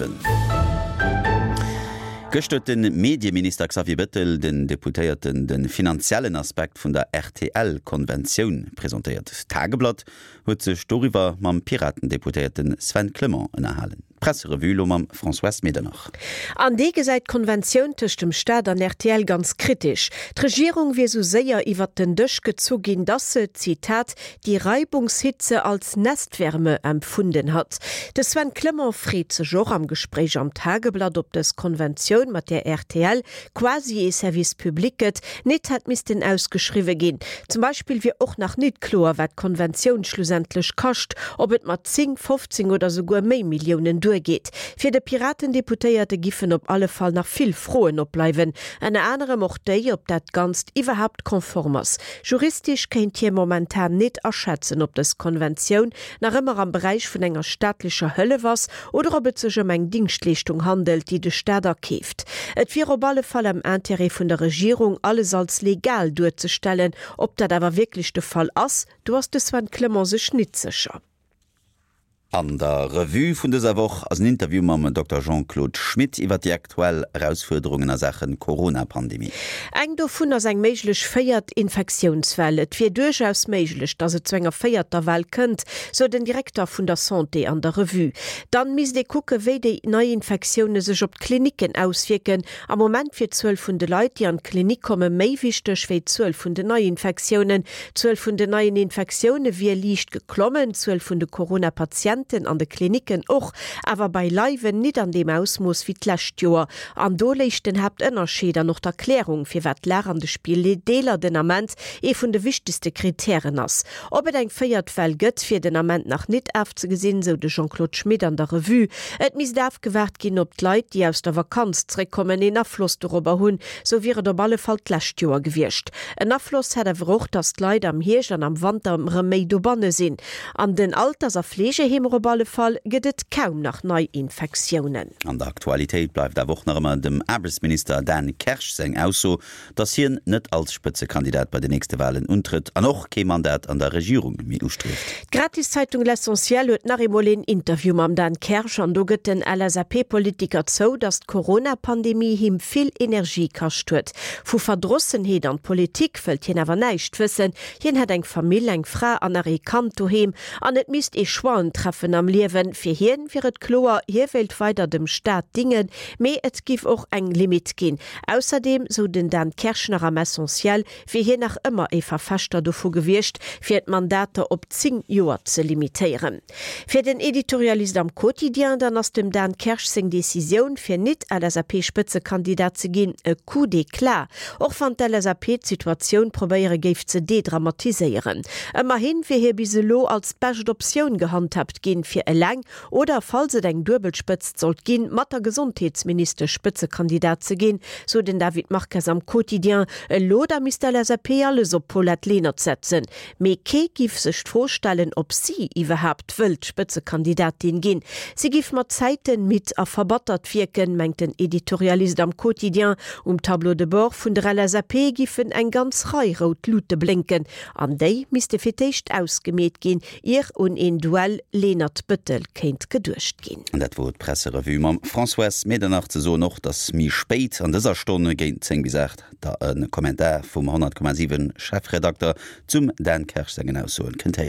7. Gëscht huet de Medieminister Xavier Bettel den Deputéierten de finanziellen Aspekt vun der RTL-Konventioun presentéiert. D'Tageblatt huet sech doriwwer mam Piraten-Deputéierte Sven Clement ënnerhalen. D'Presserevue elo mam Françoise Medernach. An dee gesäit d'Konventioun tëscht dem Staat an rtl ganz kritesch. D'Regierung wier sou séier iwwert den Dësch gezu ginn, datt se, Zitat, die Reibungshitze als Nestwärme empfunden hat. De Sven Clement freet sech och am Gespréich am Tageblatt, ob dës Konventioun, mat där rtl quasi ee Service public gëtt, nit hätt missten ausgeschriwwe ginn. Zum Beispill wier och nach nit kloer, wat d'Konventioun schlussendlech kascht, ob et mat 10, 15 oder souguer méi Milliounen duergeet. Fir de Piraten-Deputéierte giffen op alle Fall nach vill Froen opbleiwen, ënner anerem och déi, ob dat Ganzt iwwerhaapt konform ass. Juristesch kéint hie momentan nit aschätzen, ob dës Konventioun nach ëmmer am Beräich vun enger staatlecher Hëllef ass oder ob et sech ëm eng Dingschtleeschtung handelt, déi de Staat akeeft. Et wier op alle Fall am Intérêt vun der Regierung, alles als legal duerzestellen. Ob dat awer wierklech de Fall ass, do ass de Sven Clement sech nit sécher. An der Revue vun dëser Woch ass en Interview mam Dokter Jean-Claude Schmit iwwer déi aktuell Erausfuerderungen a Saache Corona-Pandemie. Eng dovun ass eng méiglech véiert Infektiounswell. Et wier duerchaus méiglech, datt et zu enger véierter Well kënnt, sou den Direkter vun der Santé an der Revue. Dann misst ee kucke wéi déi nei Infektioune sech op d'Klinicken auswierken. Am Moment wier d'Zuel vun de Leit, déi an d'Klinik komme méi wichteg wéi d'Zuel vun den Neiinfektiounen. D'Zuel vun den neien Infektioune wier liicht geklommen, d'Zuel vun de Corona-Patienten an de Klinicken och, awer beileiwen nit an deem Ausmooss wéi d'lescht Joer. An do léich den Haaptënnerscheed an och d'Erklärung, firwat d'Lag an de Spideeler den Ament ee vun de wichtegste Kritären ass. Ob et eng véiert Well gëtt, wier den Ament nach nit afzegesinn, sou de Jean-Claude Schmit an der Revue. Et misst afgewaart ginn, ob d'Leit, déi aus der Vakanz zréckkommen, een Afloss dorobber hunn. Sou wier et op alle Fall d'lescht Joer gewiescht. En Afloss hätt awer och, datt d'Leit am Hierscht an am Wanter rëm méi dobanne sinn. An den Alters a Fleegeheemer op alle Fall gëtt et kaum nach Neiinfektiounen. An der Aktualitéit bleift awer och nach ëmmer dem Aarbechtsminister Dan Kersch seng Ausso, datt hien net als Spëtzekandidat bei den nächste Walen untrëtt an och kee Mandat an der Regierung méi ustrieft. D'Gratiszeitung L'Essentiel huet nach eemol een Interview mam Dan Kersch an do gëtt den LSAP-Politiker zou, datt d'Corona-Pandemie him vill Energie kascht huet. Vu Verdrossenheet an Politik wëllt hien awer näischt wëssen. Hien hätt eng Famill, eng Fra an nach ee Kand doheem an et misst ee Choixen treffen am Liewen. Fir hien wier et kloer, hie wéilt weider dem Staat dingen, mee et giff och eng Limite ginn. Ausserdeem, sou den Dan Kersch nach am Essentiel, wier hien nach ëmmer ee Verfechter dovu gewiescht, fir d'Mandater op 10 Joer ze limitéieren. Fir den Editorialist am Quotidien dann ass dem Dan Kersch seng Decisioun, fir nit LSAP-Spëtzekandidat ze ginn, e Coup d'éclat, och wann d'LSAP d'Situatioun probéiere géif ze dedramatiséieren. Ëmmerhin wier hie bis elo als bescht Optioun gehandhabt ginn, fir eleng oder, falls et eng duebel Spëtzt sollt ginn, mat der Gesondheetsministesch Spëtzekandidat ze ginn, sou den David Marques am Quotidien. Elo da misst d'LSAP alles op d'Paulette Lenert setzen. Mee kee giff sech d'Fro stellen, ob si iwwerhaapt wëllt Spëtzekandidatin ginn. Si giff mat Zäiten midd a verbattert wierken, mengt den Editorialist am Quotidien. Um Tableau de bord vun der LSAP giffen eng ganz Rei rout Lute blénken, an déi misste fir d'éischt ausgemeet ginn, ier un een Duell Lenert-Bëttel kéint geduecht ginn. An dat wor d'Presserevue mam Françoise Medernach. Ze soen och, dass méi spéit an dëser Stonn, géint 10 bis 8, der e Kommentar vum 100,7 Chefredakter zum Dan Kersch sengen Aussoen kënnt héieren.